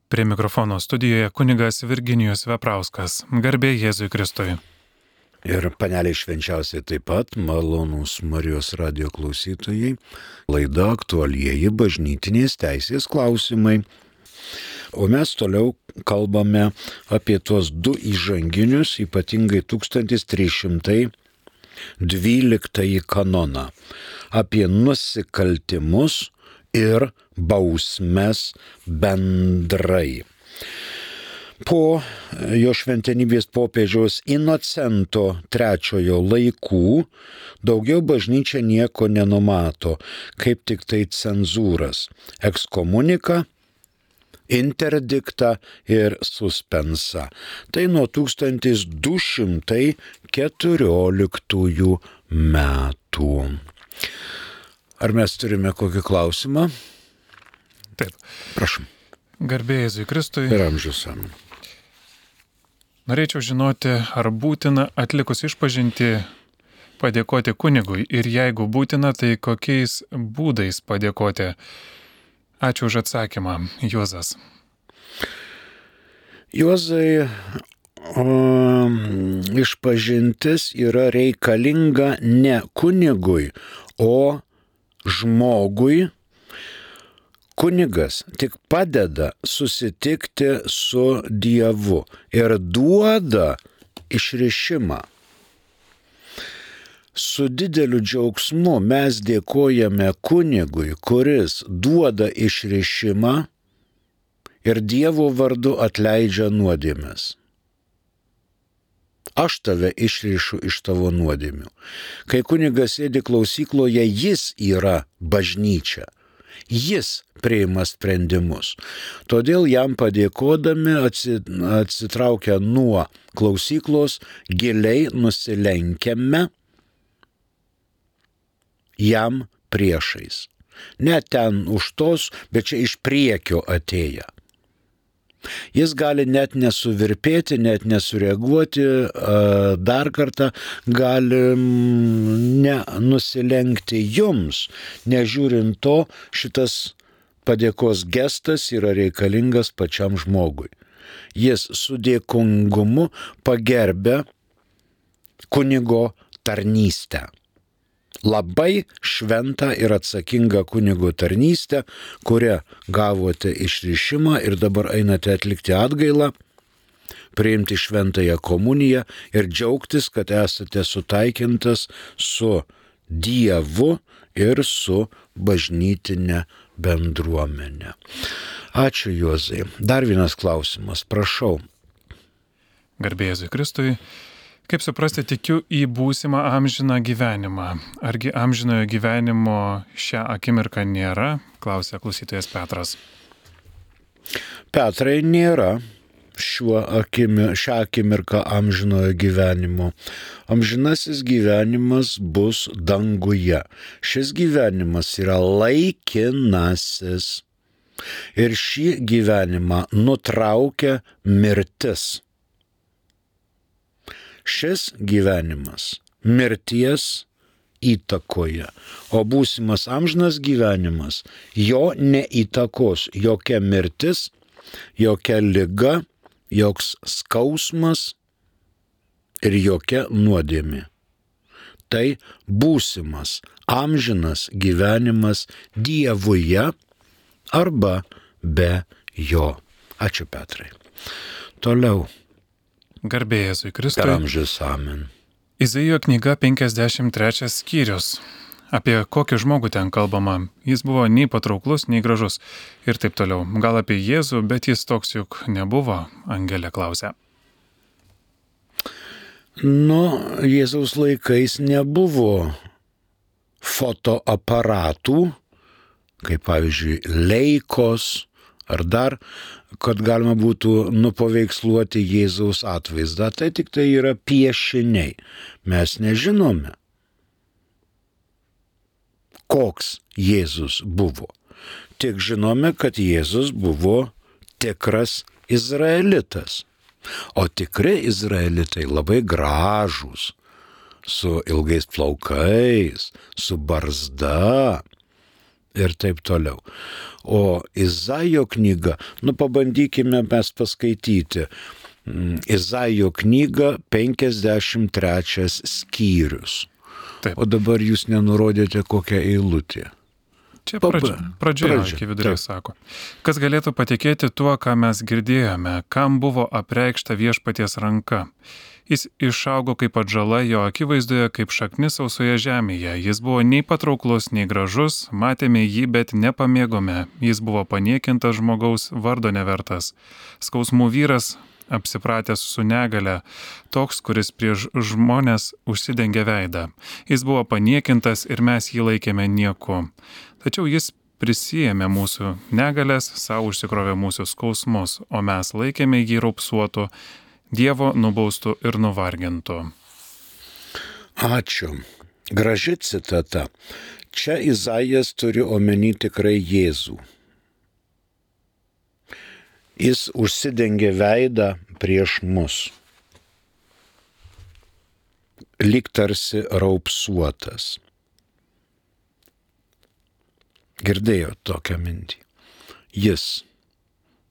Prie mikrofono studijoje kunigas Virginijus Veprauskas. Garbė Jėzui Kristui. Ir paneliai švenčiausiai taip pat, malonūs Marijos radijo klausytojai, laida aktualieji bažnytinės teisės klausimai. O mes toliau kalbame apie tuos du įžanginius, ypatingai 1312 kanoną, apie nusikaltimus ir bausmes bendrai. Po jo šventenybės popiežiaus Inocento III laikų daugiau bažnyčia nieko nenumato, kaip tik tai cenzūras, ekskomuniką, interdiktą ir suspensą. Tai nuo 1214 metų. Ar mes turime kokį klausimą? Taip. Prašom. Garbė Jėzui Kristui. Ir amžius amen. Norėčiau žinoti, ar būtina atlikus išpažintį padėkoti kunigui ir jeigu būtina, tai kokiais būdais padėkoti. Ačiū už atsakymą, Juozas. Juozai, išpažintis yra reikalinga ne kunigui, o žmogui. Kunigas tik padeda susitikti su Dievu ir duoda išrišimą. Su dideliu džiaugsmu mes dėkojame kunigui, kuris duoda išrišimą ir Dievo vardu atleidžia nuodėmes. Aš tave išrišu iš tavo nuodėmių. Kai kunigas sėdi klausykloje, jis yra bažnyčia. Jis priima sprendimus. Todėl jam padėkodami atsitraukę nuo klausyklos, giliai nusilenkiame jam priešais. Ne ten už tos, bet čia iš priekio atėję. Jis gali net nesuvirpėti, net nesureaguoti, dar kartą gali nenusilenkti jums. Nežiūrint to, šitas padėkos gestas yra reikalingas pačiam žmogui. Jis su dėkingumu pagerbia kunigo tarnystę. Labai šventą ir atsakingą kunigo tarnystę, kurią gavote išrišimą ir dabar einate atlikti atgailą, priimti šventąją komuniją ir džiaugtis, kad esate sutaikintas su Dievu ir su bažnytinė bendruomenė. Ačiū, Juozai. Dar vienas klausimas, prašau. Garbė Jėzui Kristui. Kaip suprasti, tikiu į būsimą amžiną gyvenimą. Argi amžinojo gyvenimo šią akimirką nėra? Klausia klausytojas Petras. Petrai, nėra šią akimirką amžinojo gyvenimo. Amžinasis gyvenimas bus danguje. Šis gyvenimas yra laikinasis. Ir šį gyvenimą nutraukia mirtis. Šis gyvenimas mirties įtakoja, o būsimas amžinas gyvenimas jo neįtakos jokia mirtis, jokia liga, joks skausmas ir jokia nuodėmė. Tai būsimas amžinas gyvenimas Dievuje arba be jo. Ačiū, Petrai. Toliau. Garbė Jėzui Kristui. Per amžius amen. Izaijo knyga 53 skyrius. Apie kokį žmogų ten kalbama. Jis buvo nei patrauklus, nei gražus. Ir taip toliau. Gal apie Jėzų, bet jis toks juk nebuvo, Angelė klausia. Jėzaus laikais nebuvo fotoaparatų, kaip pavyzdžiui Leikos, ar dar, kad galima būtų nupaveiksluoti Jėzaus atvaizdą. Tai tik tai yra piešiniai. Mes nežinome, koks Jėzus buvo. Tik žinome, kad Jėzus buvo tikras izraelitas. O tikri izraelitai labai gražūs, su ilgais plaukais, su barzda. ir taip toliau. O Izaijo knyga, pabandykime mes paskaityti. Izaijo knyga 53 skyrius. Taip. O dabar jūs nenurodėte kokią eilutę. Čia pradžioje iki vidurio sako. Kas galėtų patikėti tuo, ką mes girdėjome, kam buvo apreikšta viešpaties ranka. Jis išaugo kaip atžala jo akivaizdoje, kaip šaknis sausoje žemėje. Jis buvo nei patrauklus, nei gražus, matėme jį, bet nepamėgome. Jis buvo paniekintas žmogaus, vardo nevertas. Skausmų vyras, apsipratęs su negale, toks, kuris prieš žmonės užsidengia veidą. Jis buvo paniekintas ir mes jį laikėme nieku. Tačiau jis prisijėmė mūsų negalės, savo užsikrovė mūsų skausmus, o mes laikėme jį raupsuotu, Dievo nubaustų ir nuvargintų. Ačiū. Graži citata. Čia Izaijas turi omeny tikrai Jėzų. Jis užsidengė veidą prieš mus. Lyg tarsi raupsuotas. Girdėjo tokią mintį. Jis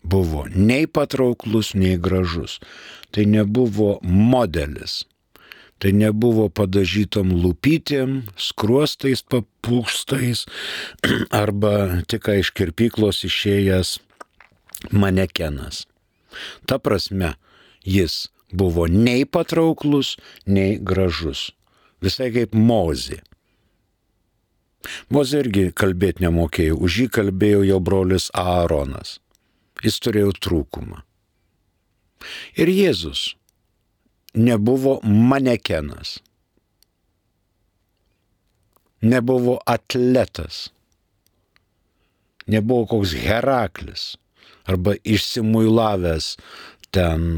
buvo nei patrauklus, nei gražus. Tai nebuvo modelis. Tai nebuvo padažytom lūpytėm, skruostais papūstais arba tik iš kirpyklos išėjęs manekenas. Ta prasme, jis buvo nei patrauklus, nei gražus. Visai kaip Mozė. Mozė irgi kalbėti nemokėjo, už jį kalbėjo jo brolis Aaronas. Jis turėjo trūkumą. Ir Jėzus nebuvo manekenas, nebuvo atletas, nebuvo koks Heraklis arba išsimuilavęs ten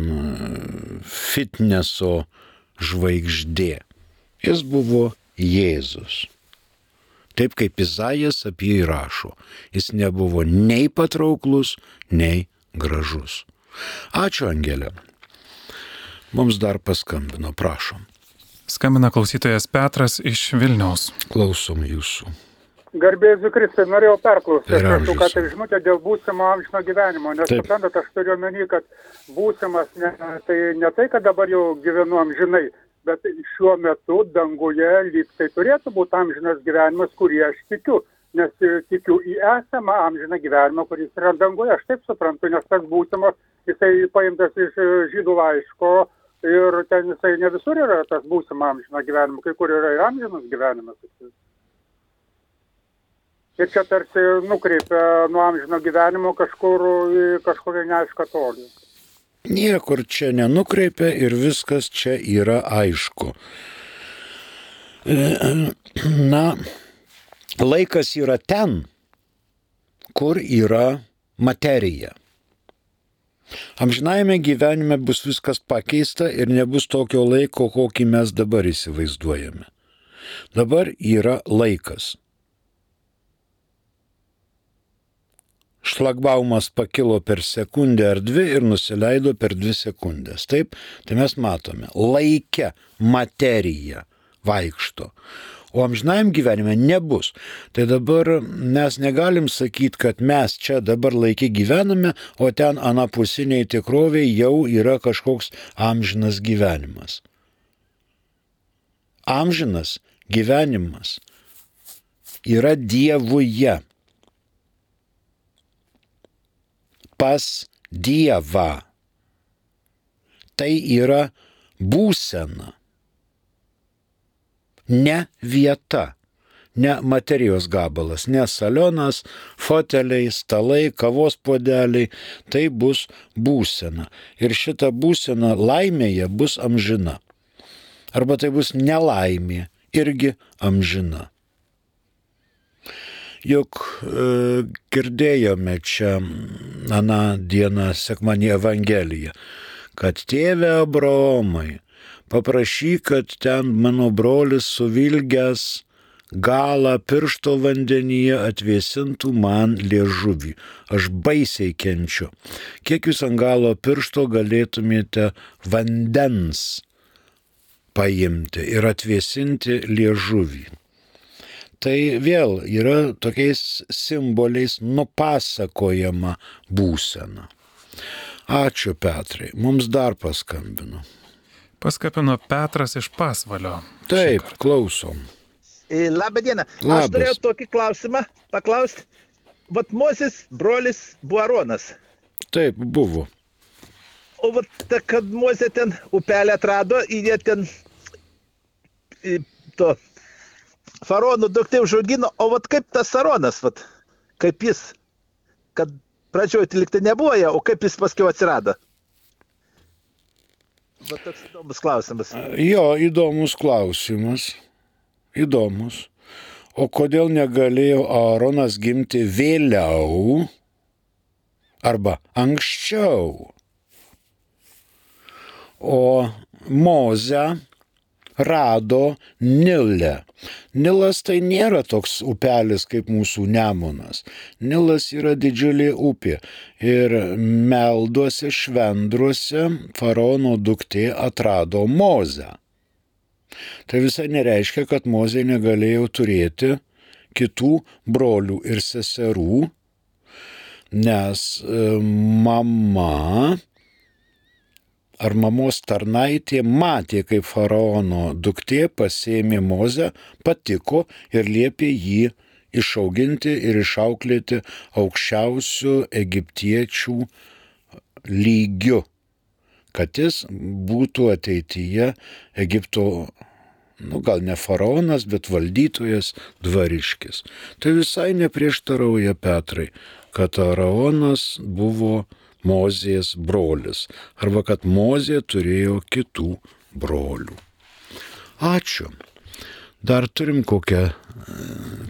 fitneso žvaigždė. Jis buvo Jėzus. Taip kaip Izaijas apie jį rašo, jis nebuvo nei patrauklus, nei gražus. Ačiū, Angelė. Mums dar paskambino, prašom. Skambina klausytojas Petras iš Vilniaus. Klausom jūsų. Garbėsiu Kristui, norėjau perklausyti, aš ką tai žinutė dėl būsimo amžino gyvenimo, nes suprantat, aš turiu omeny, kad būsimas tai ne tai, kad dabar jau gyvenu amžinai, bet šiuo metu danguje lyg tai turėtų būti amžinas gyvenimas, kurį aš tikiu, nes tikiu į esamą amžiną gyvenimą, kuris yra danguje, aš taip suprantu, nes tas būsimas, jisai paimtas iš žydų laiško ir ten jisai ne visur yra tas būsimo amžino gyvenimo, kai kur yra ir amžinas gyvenimas. Ir čia tarsi nukreipia nuo amžino gyvenimo kažkur į kažkokią neaišką tolį. Niekur čia nenukreipia ir viskas čia yra aišku. Na, laikas yra ten, kur yra materija. Amžinajame gyvenime bus viskas pakeista ir nebus tokio laiko, kokį mes dabar įsivaizduojame. Dabar yra laikas. Šlagbaumas pakilo per sekundę ar dvi ir nusileido per 2 sekundės. Taip, tai mes matome, laike materija vaikšto, o amžinajam gyvenime nebus. Tai dabar mes negalim sakyti, kad mes čia dabar laike gyvename, o ten anapusiniai tikroviai jau yra kažkoks amžinas gyvenimas. Amžinas gyvenimas yra Dievuje. Pas Dievą. Tai yra būsena. Ne vieta, ne materijos gabalas, ne salionas, foteliai, stalai, kavos puodeliai. Tai bus būsena. Ir šita būsena laimėje bus amžina. Arba tai bus nelaimė, irgi amžina. Juk girdėjome čia aną dieną sekmadienį Evangeliją, kad tėve Abraomai, paprašyk, kad ten mano brolis suvilgęs galą piršto vandenyje atvėsintų man liežuvį. Aš baisiai kenčiu. Kiek jūs ant galo piršto galėtumėte vandens paimti ir atvėsinti liežuvį? tai vėl yra tokiais simboliais nupasakojama būsena. Ačiū, Petrai. Mums dar paskambino. Paskambino Petras iš Pasvalio. Taip, klausom. Labą dieną. Aš turėjau tokį klausimą paklausti. Vat Mozės brolis buvo Aronas. Taip, buvo. O vat, kad Mozė ten upelę atrado, jie ten to faraono duktė užaugino, o vat kaip tas Aronas, vat, kaip jis, kad pradžioj liktai nebuvo, o kaip jis paskiau atsirado? Vat toks įdomus klausimas. Jo, įdomus klausimas. Įdomus. O kodėl negalėjo Aronas gimti vėliau arba anksčiau? O Mozę rado Nile. Nilas tai nėra toks upelis kaip mūsų Nemunas. Nilas yra didžiulė upė. Ir Melduose, Švendruose faraono duktė atrado Mozę. Tai visai nereiškia, kad Mozė negalėjo turėti kitų brolių ir seserų, nes mama ar mamos tarnaitė matė, kaip faraono duktė pasėmė Mozę, patiko ir liepė jį išauginti ir išauklėti aukščiausių egiptiečių lygiu, kad jis būtų ateityje Egipto, gal ne faraonas, bet valdytojas, dvariškis. Tai visai neprieštarauja, Petrai, kad Aronas buvo Mozės brolis, arba kad Mozė turėjo kitų brolių. Ačiū. Dar turim kokią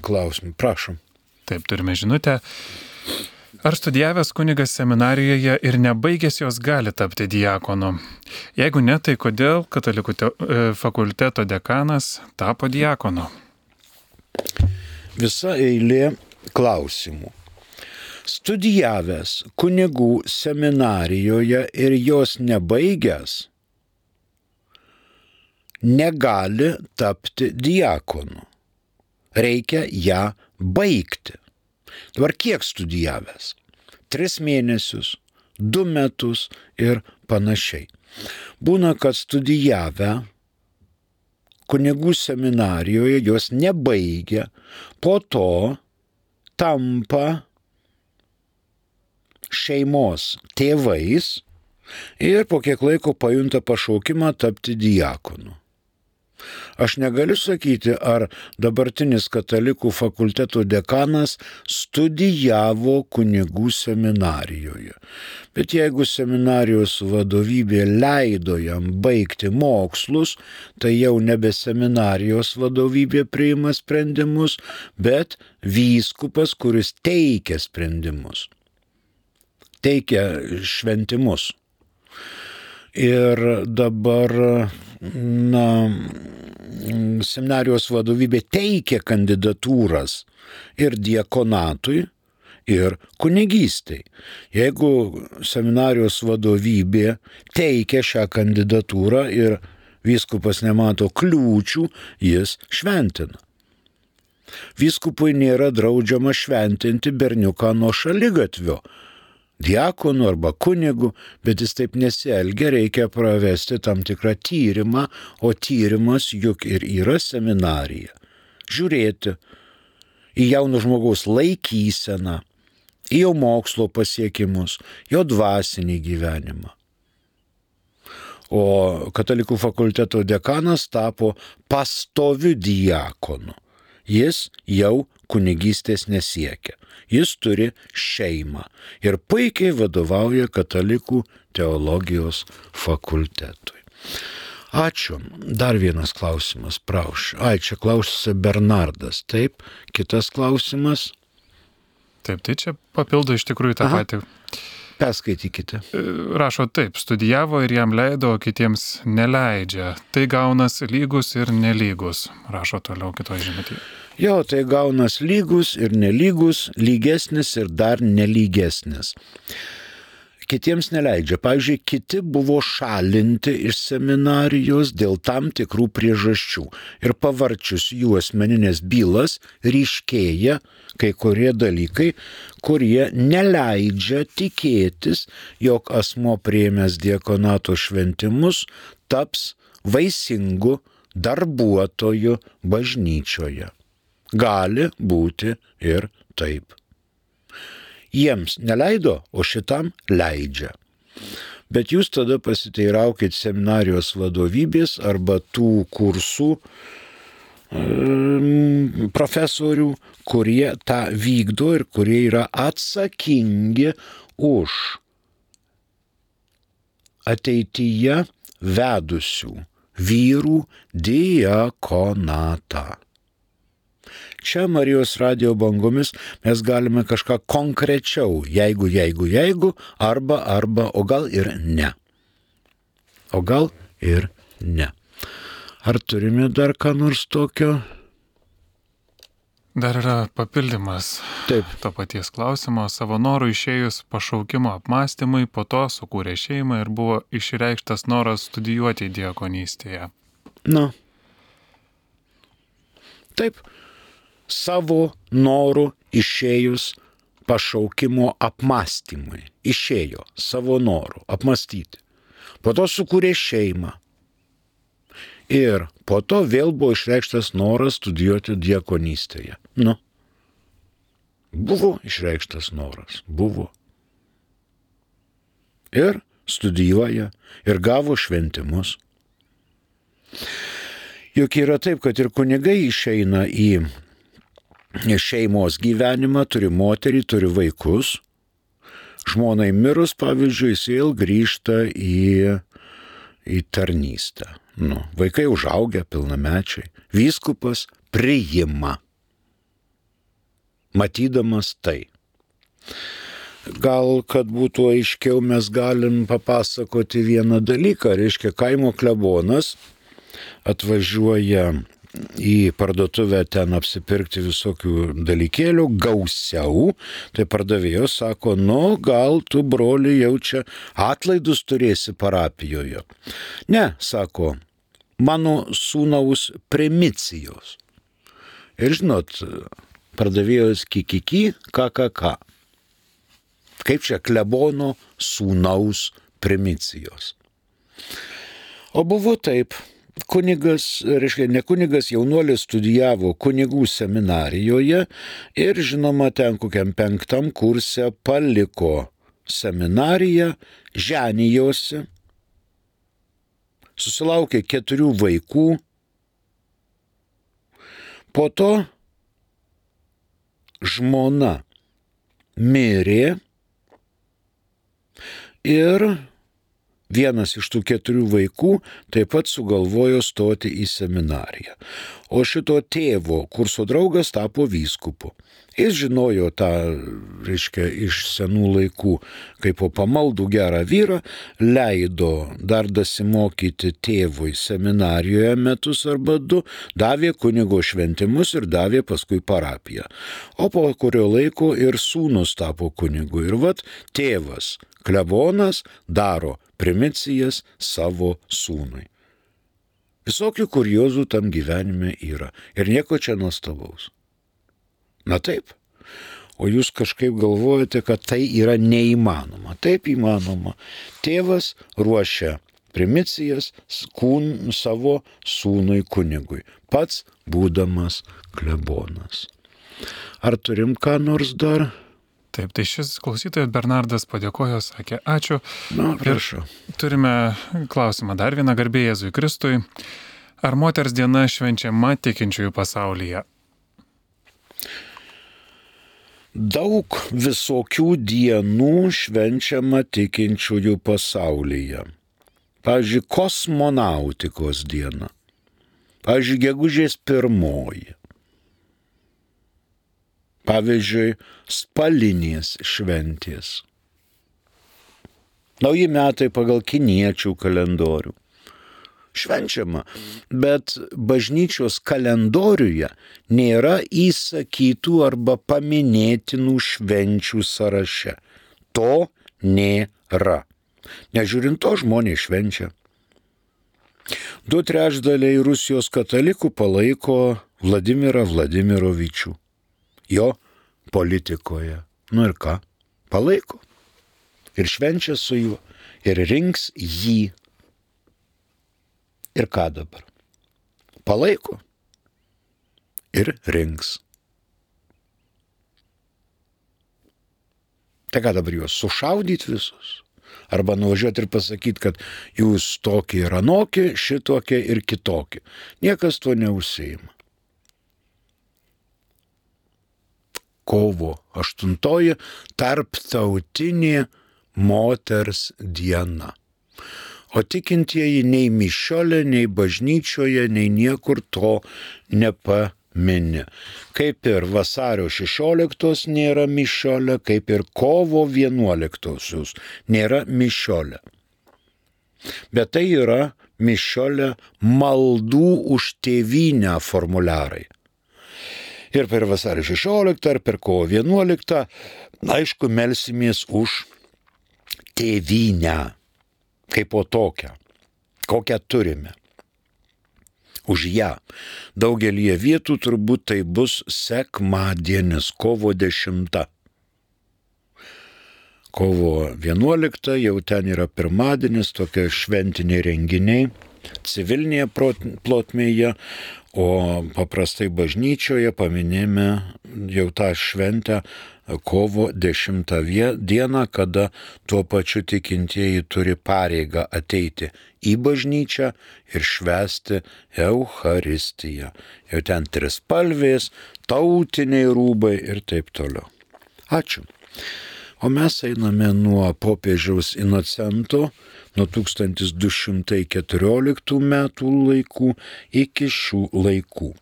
klausimą. Prašom. Taip, turime žinutę. Ar studijavęs kunigas seminarijoje ir nebaigęs jos gali tapti diakonu? Jeigu ne, tai kodėl katalikų fakulteto dekanas tapo diakonu? Visa eilė klausimų. Studijavęs kunigų seminarijoje ir jos nebaigęs negali tapti diakonu. Reikia ją baigti. Dabar kiek studijavęs? 3 mėnesius, 2 metus ir panašiai. Būna, kad studijavę kunigų seminarijoje jos nebaigia, po to tampa šeimos tėvais ir po kiek laiko pajunta pašaukimą tapti diakonu. Aš negaliu sakyti, ar dabartinis katalikų fakulteto dekanas studijavo kunigų seminarijoje. Bet jeigu seminarijos vadovybė leido jam baigti mokslus, tai jau nebe seminarijos vadovybė priima sprendimus, bet vyskupas, kuris teikia sprendimus. Teikia šventimus. Ir dabar, seminarijos vadovybė teikia kandidatūras ir diakonatui, ir kunigystei. Jeigu seminarijos vadovybė teikia šią kandidatūrą ir vyskupas nemato kliūčių, jis šventina. Vyskupui nėra draudžiama šventinti berniuką nuo šaligatvio, diakonu arba kunigu, bet jis taip nesielgia, reikia pravesti tam tikrą tyrimą, o tyrimas juk ir yra seminarija. Žiūrėti į jauno žmogaus laikyseną, į jo mokslo pasiekimus, jo dvasinį gyvenimą. O katalikų fakulteto dekanas tapo pastoviu diakonu. Jis jau kunigystės nesiekia. Jis turi šeimą ir puikiai vadovauja katalikų teologijos fakultetui. Ačiū. Dar vienas klausimas, prašau. Čia klausia Bernardas. Taip, kitas klausimas. Taip, tai čia papildo iš tikrųjų tą patį. Perskaitykite. Rašo taip, studijavo ir jam leido, o kitiems neleidžia. Tai gaunas lygus ir nelygus, rašo toliau kitoje žinutėje. Jo, tai gaunas lygus ir nelygus, lygesnis ir dar nelygesnis. kitiems neleidžia. Pavyzdžiui, kiti buvo šalinti iš seminarijos dėl tam tikrų priežasčių. Ir pavarčius jų asmeninės bylas ryškėja kai kurie dalykai, kurie neleidžia tikėtis, jog asmuo priėmęs diakonato šventimus taps vaisingu darbuotoju bažnyčioje. Gali būti ir taip. Jiems neleido, o šitam leidžia. Bet jūs tada pasiteiraukit seminarijos vadovybės arba tų kursų profesorių, kurie tą vykdo ir kurie yra atsakingi už ateityje vedusių vyrų diakonatą. Čia Marijos radijo bangomis mes galime kažką konkrečiau, jeigu, arba, o gal ir ne. O gal ir ne. Ar turime dar ką nors tokio? Dar yra papildymas. Taip. To paties klausimo. Savo norų išėjus pašaukimo apmąstymui, po to sukūrė šeimą ir buvo išreikštas noras studijuoti diakonystėje. Na. Taip. Savo norų išėjus pašaukimo apmąstymui. Išėjo savo norų apmąstyti. Po to sukūrė šeimą. Ir po to vėl buvo išreikštas noras studijuoti diakonystėje. Nu. Buvo išreikštas noras. Buvo. Ir studijuoja. Ir gavo šventimus. Juk yra taip, kad ir kunigai išeina į šeimos gyvenimą, turi moterį, turi vaikus. Žmonai mirus, pavyzdžiui, jis vėl grįžta į tarnystę. Nu, vaikai užaugę, pilnamečiai. Vyskupas priima, matydamas tai. Gal, kad būtų aiškiau, mes galim papasakoti vieną dalyką. Reiškia, kaimo klebonas atvažiuoja į parduotuvę ten apsipirkti visokių dalykėlių, gausiau, tai pardavėjos sako, nu gal tu, broli, jau čia atlaidus turėsi parapijoje. Ne, sako, mano sūnaus primicijos. Ir žinot, pardavėjos kikiki, ką. Kaip čia klebono sūnaus primicijos. O buvo taip. Kunigas, reiškia, ne kunigas, jaunuolis studijavo kunigų seminarijoje ir, žinoma, ten kokiam 5 kurse paliko seminariją, ženijosi, susilaukė 4 vaikų, po to žmona mirė ir vienas iš tų 4 vaikų taip pat sugalvojo stoti į seminariją. O šito tėvo kurso draugas tapo vyskupu. Jis žinojo tą, reiškia, iš senų laikų, kaip po pamaldų gerą vyrą, leido dar dasimokyti tėvui seminarijoje metus arba 2, davė kunigo šventimus ir davė paskui parapiją. O po kurio laiko ir sūnus tapo kunigu. Ir vat tėvas, klebonas, daro primicijas savo sūnui. Visokių kuriozų tam gyvenime yra. Ir nieko čia nuostabaus. Na taip. O jūs kažkaip galvojate, kad tai yra neįmanoma. Taip įmanoma. Tėvas ruošia primicijas savo sūnui kunigui. Pats būdamas klebonas. Ar turim ką nors dar? Taip, tai šis klausytojas Bernardas padėkojo, sakė ačiū. Na, prašau. Ir turime klausimą dar vieną, garbė Jėzui Kristui. Ar moters diena švenčiama tikinčiųjų pasaulyje? Daug visokių dienų švenčiama tikinčiųjų pasaulyje. Pavyzdžiui, kosmonautikos diena. Pavyzdžiui, gegužės 1. Pavyzdžiui, spalinės šventės. Nauji metai pagal kiniečių kalendorių. Švenčiama, bet bažnyčios kalendoriuje nėra įsakytų arba paminėtinų švenčių sąraše. To nėra. nėra. Nežiūrint to, žmonės švenčia. 2/3 Rusijos katalikų palaiko Vladimirą Vladimirovičių. Jo politikoje. Nu ir ką? Palaiko. Ir švenčia su juo. Ir rinks jį. Ir ką dabar? Palaiko. Ir rinks. Tai ką dabar juos sušaudyti visus? Arba nuvažiuoti ir pasakyti, kad jūs tokie ir anokie, šitokie ir kitokie. Niekas tuo neužsiima. Kovo 8 tarptautinė moters diena. O tikintieji nei mišiolė, nei bažnyčioje, nei niekur to nepamini. Kaip ir vasario 16 nėra mišiolė, kaip ir kovo 11 nėra mišiolė. Bet tai yra mišiolė maldų už tėvynę formuliarai. Ir per vasario 16 ar per kovo 11, aišku, melsimės už tėvynę, kaip po tokią, kokią turime. Už ją. Daugelį vietų turbūt tai bus sekmadienis, kovo 10. Kovo 11 jau ten yra pirmadienis, tokie šventiniai renginiai, civilinėje plotmėje, o paprastai bažnyčioje paminėjome jau tą šventę kovo 10 dieną, kada tuo pačiu tikintieji turi pareigą ateiti į bažnyčią ir švęsti Eucharistiją. Jau ten trispalvės, tautiniai rūbai ir taip toliau. Ačiū. O mes einame nuo popiežiaus Inocento, nuo 1214 metų laikų iki šių laikų.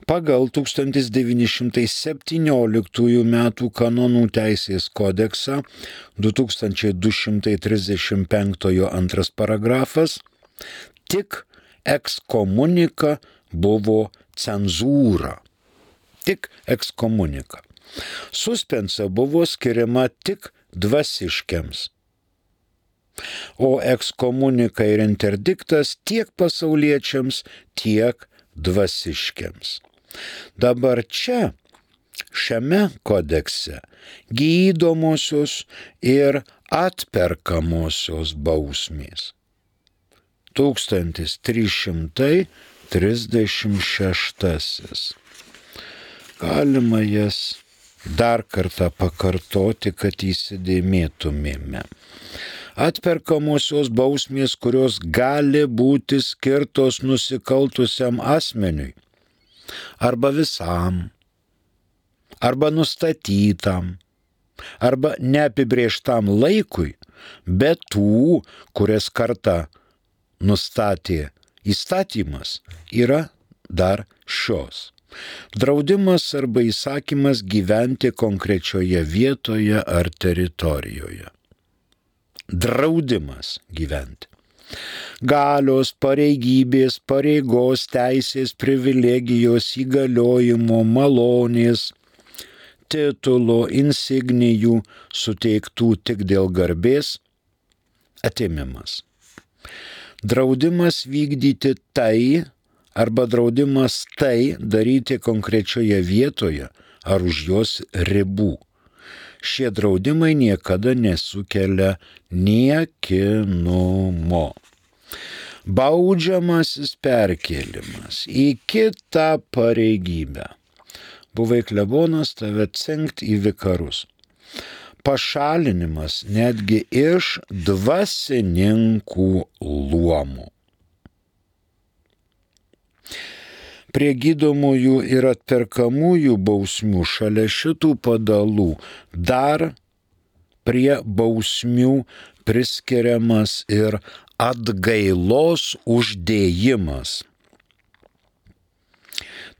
Pagal 1917 metų kanonų teisės kodeksą 2235 antras paragrafas tik ekskomunika buvo cenzūra. Tik ekskomunika. Suspensa buvo skiriama tik dvasiškiams. O ekskomunika ir interdiktas tiek pasauliečiams, tiek dvasiškiams. Dabar čia, šiame kodekse, gydomosios ir atperkamosios bausmės. 1336. Galima jas dar kartą pakartoti, kad įsidėmėtumėme. Atperkamosios bausmės, kurios gali būti skirtos nusikaltusiam asmeniui, arba visam, arba nustatytam, arba neapibrėžtam laikui, bet tų, kurias kartą nustatė įstatymas, yra dar šios. Draudimas arba įsakymas gyventi konkrečioje vietoje ar teritorijoje. Draudimas gyventi. Galios, pareigybės, pareigos, teisės, privilegijos, įgaliojimo, malonės, titulo, insignijų suteiktų tik dėl garbės atėmimas. Draudimas vykdyti tai, arba draudimas tai daryti konkrečioje vietoje ar už jos ribų. Šie draudimai niekada nesukelia niekinumo. Baudžiamasis perkėlimas į kitą pareigybę. Buvai klebonas, tave cengt į vikarus. Pašalinimas netgi iš dvasininkų luomų. Prie gydomųjų ir atperkamųjų bausmių šalia šitų padalų dar prie bausmių priskiriamas ir atgailos uždėjimas.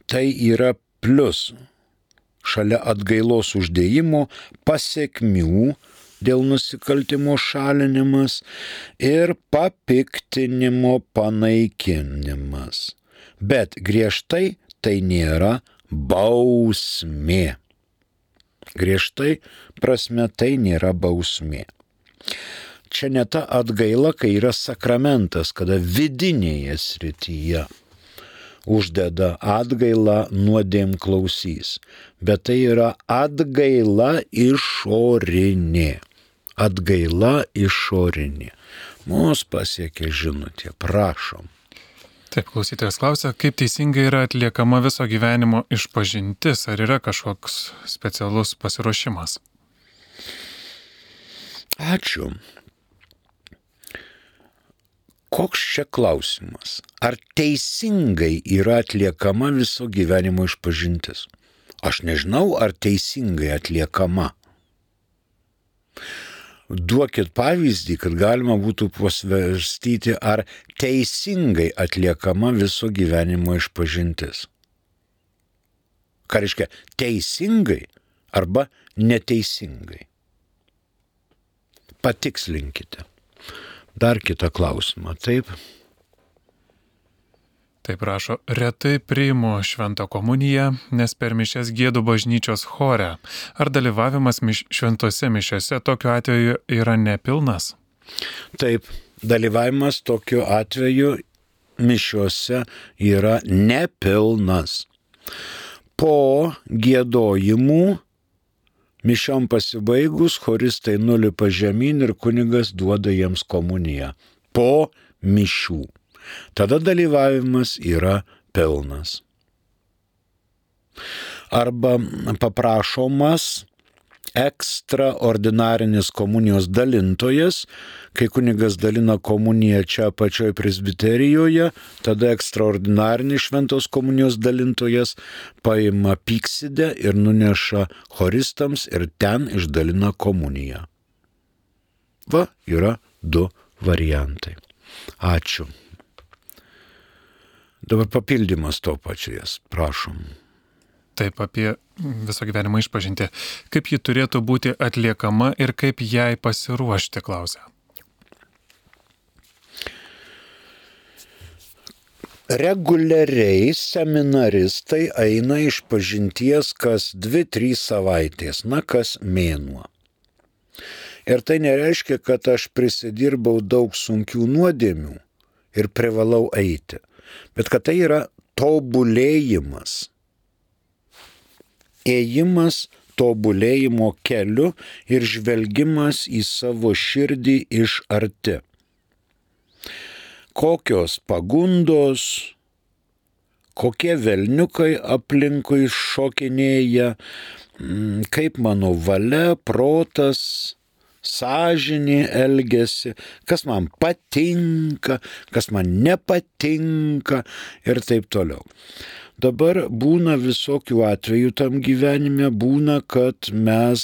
Tai yra plius šalia atgailos uždėjimo pasekmių dėl nusikaltimo šalinimas ir papiktinimo panaikinimas. Bet griežtai tai nėra bausmė. Griežtai prasme tai nėra bausmė. čia ne ta atgaila, kai yra sakramentas, kada vidinėje srityje uždeda atgailą nuodėm klausys. Bet tai yra atgaila išorinė. Atgaila išorinė. Mūsų pasiekė žinutė, prašom. Taip, klausytojas klausia, kaip teisingai yra atliekama viso gyvenimo išpažintis, ar yra kažkoks specialus pasiruošimas? Ačiū. Koks čia klausimas? Ar teisingai yra atliekama viso gyvenimo išpažintis? Aš nežinau, ar teisingai atliekama. Duokit pavyzdį, kad galima būtų pasvarstyti, ar teisingai atliekama viso gyvenimo išpažintis. Ką reiškia teisingai arba neteisingai? Patikslinkite. Dar kitą klausimą, taip? Taip rašo, retai priimu šventą komuniją, nes per mišias giedu bažnyčios chore. Ar dalyvavimas šventose mišiose tokiu atveju yra nepilnas? Taip, dalyvavimas tokiu atveju mišiose yra nepilnas. Po giedojimų mišiom pasibaigus, choristai nulipa žemyn ir kunigas duoda jiems komuniją. Po mišių. Tada dalyvavimas yra pilnas. Arba paprašomas ekstraordinarinis komunijos dalintojas, kai kunigas dalina komuniją čia pačioj presbiterijoje, tada ekstraordinarinis šventos komunijos dalintojas paima pyksidę ir nuneša choristams ir ten išdalina komuniją. Va, yra 2 variantai. Ačiū. Dabar papildymas to pačias, prašom. Taip, apie viso gyvenimo išpažinti. Kaip ji turėtų būti atliekama ir kaip jai pasiruošti, klausia. Reguliariai seminaristai eina išpažinties kas 2-3 savaitės, kas mėnuo. Ir tai nereiškia, kad aš prisidirbau daug sunkių nuodėmių ir privalau eiti, bet kad tai yra tobulėjimas. Ėjimas tobulėjimo keliu ir žvelgimas į savo širdį iš arti. Kokios pagundos, kokie velniukai aplinkui šokinėja, kaip mano valia, protas, sąžinė elgiasi, kas man patinka, kas man nepatinka ir taip toliau. Dabar būna visokių atvejų tam gyvenime, būna, kad mes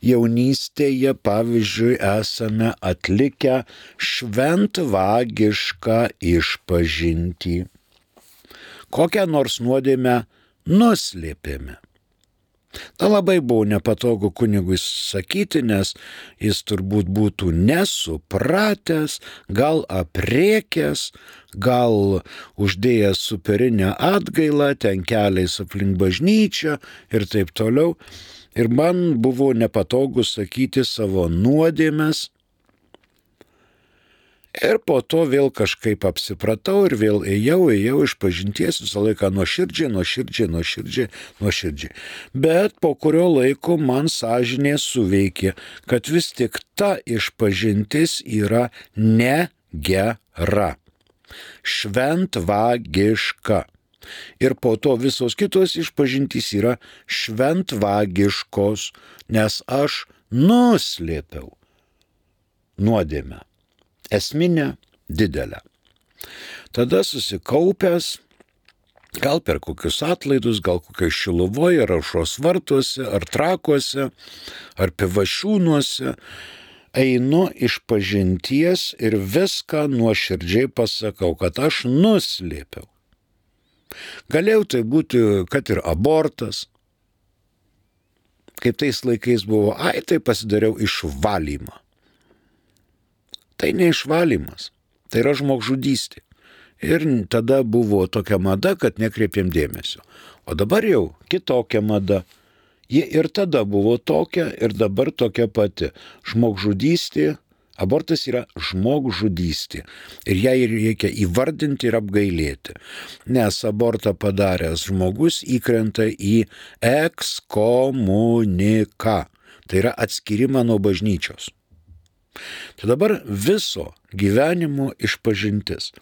jaunystėje, pavyzdžiui, esame atlikę šventvagišką išpažintį. Kokią nors nuodėmę nuslėpėme. Ta labai buvo nepatogu kunigui sakyti, nes jis turbūt būtų nesupratęs, gal aprėkęs, gal uždėjęs superinę atgailą, ten keliais aplink bažnyčią ir taip toliau. Ir man buvo nepatogu sakyti savo nuodėmes. Ir po to vėl kažkaip apsipratau ir vėl ėjau išpažinties visą laiką nuoširdžiai. Bet po kurio laiko man sąžinė suveikė, kad vis tik ta išpažintis yra negera, šventvagiška. Ir po to visos kitos išpažintys yra šventvagiškos, nes aš nuslėpiau nuodėmę. Esminę, didelę. Tada susikaupęs, gal per kokius atlaidus, gal kokioj Šiluvoje, ar Aušros vartuose, ar Trakuose, ar Pivašiūnuose, einu išpažinties ir viską nuoširdžiai pasakau, kad aš nuslėpiau. Galėjau tai būti, kad ir abortas, kaip tais laikais buvo, tai pasidariau išvalymą. Tai ne išvalymas, tai yra žmogžudystė. Ir tada buvo tokia mada, kad nekreipėm dėmesio. O dabar jau kitokia mada. Ji ir tada buvo tokia, ir dabar tokia pati. Žmogžudystė Abortas yra žmogžudystė ir ją reikia įvardinti ir apgailėti, nes abortą padaręs žmogus įkrenta į ekskomuniką, tai yra atskyrimą nuo bažnyčios. Tai dabar viso gyvenimo išpažintis.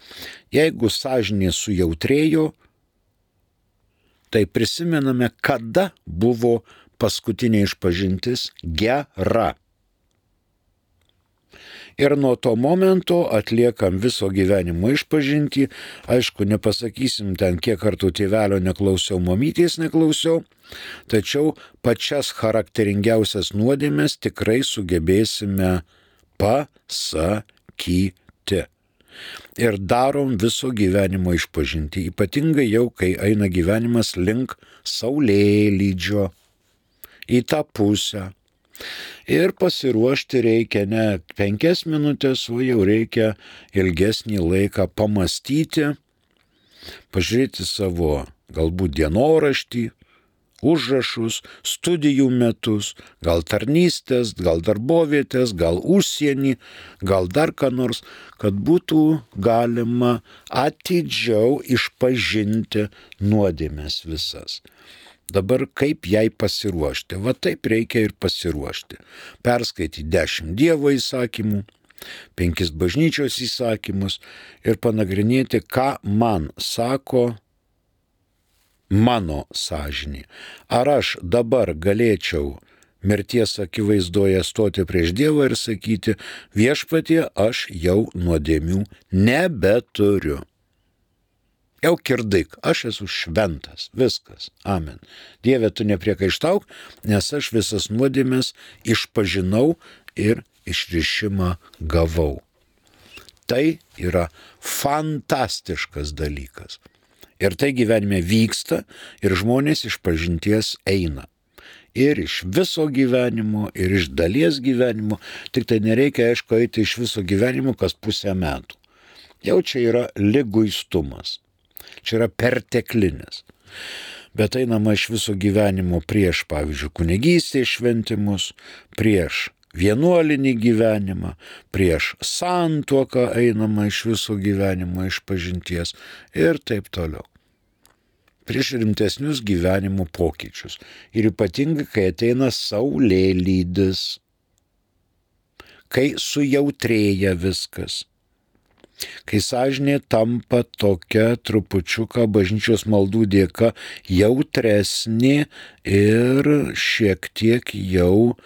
Jeigu sąžinė sujautrėjo, tai prisimename, kada buvo paskutinė išpažintis gera. Ir nuo to momento atliekam viso gyvenimo išpažintį. Aišku, nepasakysim ten, kiek kartų tėvelio neklausiau, mamytės neklausiau, tačiau pačias charakteringiausias nuodėmes tikrai sugebėsime pasakyti. Ir darom viso gyvenimo išpažintį, ypatingai jau, kai eina gyvenimas link saulėlydžio į tą pusę. Ir pasiruošti reikia ne 5 minutės, o jau reikia ilgesnį laiką pamastyti, pažiūrėti savo galbūt dienoraštį, užrašus, studijų metus, gal tarnystės, gal darbovietės, gal užsienį, gal dar ką nors, kad būtų galima atidžiau išpažinti nuodėmes visas. Dabar kaip jai pasiruošti? Va taip reikia ir pasiruošti. Perskaityti 10 Dievo įsakymų, 5 bažnyčios įsakymus ir panagrinėti, ką man sako mano sąžinė. Ar aš dabar galėčiau mirties akivaizdoje stoti prieš Dievą ir sakyti, viešpatie, aš jau nuodėmių nebeturiu. Jau kirdaik, aš esu šventas, viskas, amen. Dieve, tu nepriekaištauk, nes aš visas nuodėmes išpažinau ir išrišimą gavau. Tai yra fantastiškas dalykas. Ir tai gyvenime vyksta ir žmonės išpažinties eina. Ir iš viso gyvenimo, ir iš dalies gyvenimo, tik tai nereikia, aišku, eiti iš viso gyvenimo kas pusę metų. Jau čia yra liguistumas. Čia yra perteklinis. Bet einama iš viso gyvenimo prieš, pavyzdžiui, kunigystės šventimus, prieš vienuolinį gyvenimą, prieš santuoką einama iš viso gyvenimo išpažinties ir taip toliau. Prieš rimtesnius gyvenimo pokyčius. Ir ypatingai, kai ateina saulėlydis, kai sujautrėja viskas. Kai sąžinė tampa tokia trupučiuką bažnyčios maldų dėka jautresnė ir šiek tiek jau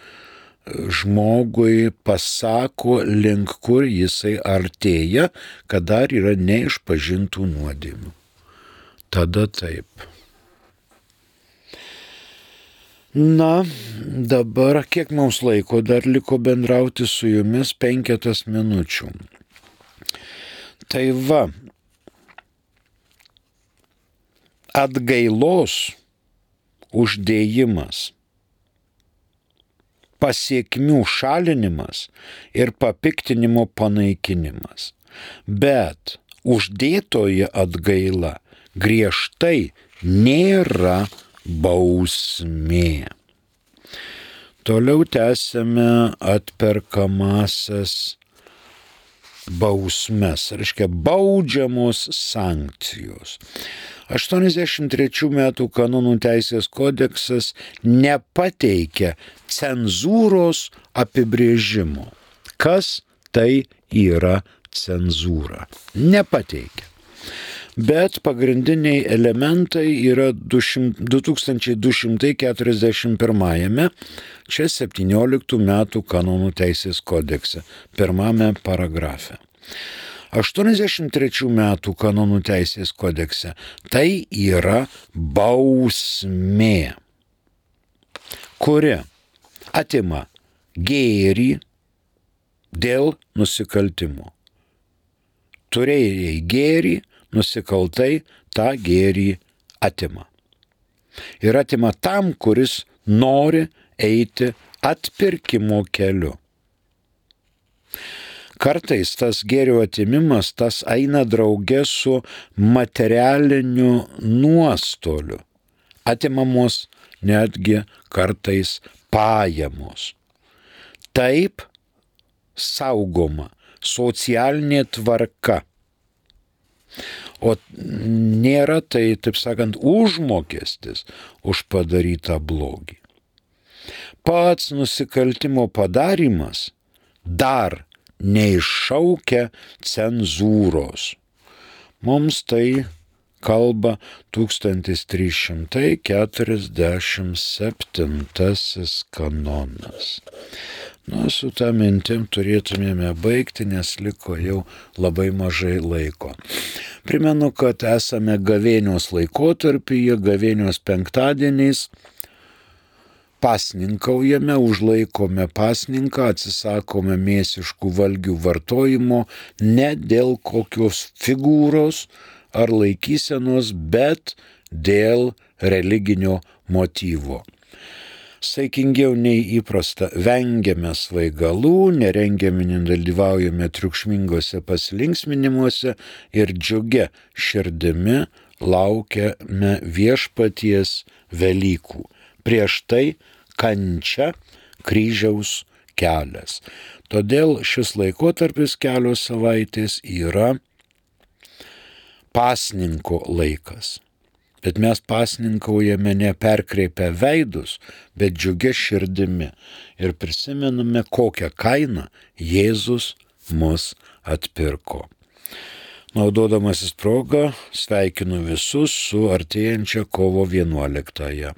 žmogui pasako, link kur jisai artėja, kad dar yra neišpažintų nuodėmių. Tada taip. Na, dabar kiek mums laiko dar liko bendrauti su jumis? 5 minučių. Tai va, atgailos uždėjimas, pasiekmių šalinimas ir papiktinimo panaikinimas. Bet uždėtoji atgaila griežtai nėra bausmė. Toliau tęsime atperkamasias bausmes, reiškia baudžiamos sankcijos. 83 metų kanonų teisės kodeksas nepateikia cenzūros apibrėžimo. Kas tai yra cenzūra? Nepateikia. Bet pagrindiniai elementai yra 2241, čia 17 metų kanonų teisės kodekse, 1 paragrafe. 83 metų kanonų teisės kodekse tai yra bausmė, kuri atima gėrį dėl nusikaltimo. Turėjai gėrį, nusikaltai tą gėrį atima. Ir atima tam, kuris nori eiti atpirkimo keliu. Kartais tas gėrio atimimas, tas eina drauge su materialiniu nuostoliu. Atimamos netgi kartais pajamos. Taip, saugoma socialinė tvarka. O nėra tai, taip sakant, užmokestis už padarytą blogį. Pats nusikaltimo padarimas dar neiššaukia cenzūros. Mums tai kalba 1347 kanonas. Su tą mintim turėtumėme baigti, nes liko jau labai mažai laiko. Primenu, kad esame gavėnios laikotarpyje, gavėnios penktadieniais. Pasninkaujame, užlaikome pasninką, atsisakome mėsiškų valgių vartojimo ne dėl kokios figūros ar laikysenos, bet dėl religinio motyvo. Saikingiau nei įprasta vengiame svaigalų, nerengiame, nedalyvaujame triukšmingose pasilinksminimuose ir džiugia širdimi laukiame viešpaties Velykų. Prieš tai kančia kryžiaus kelias. Todėl šis laikotarpis kelios savaitės yra pasninko laikas. Bet mes pasninkaujame ne perkreipę veidus, bet džiugia širdimi ir prisimename, kokią kainą Jėzus mus atpirko. Naudodamasis progą, sveikinu visus su artėjančia kovo 11.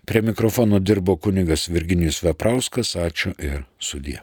Prie mikrofono dirbo kunigas Virginijus Veprauskas, ačiū ir sudie.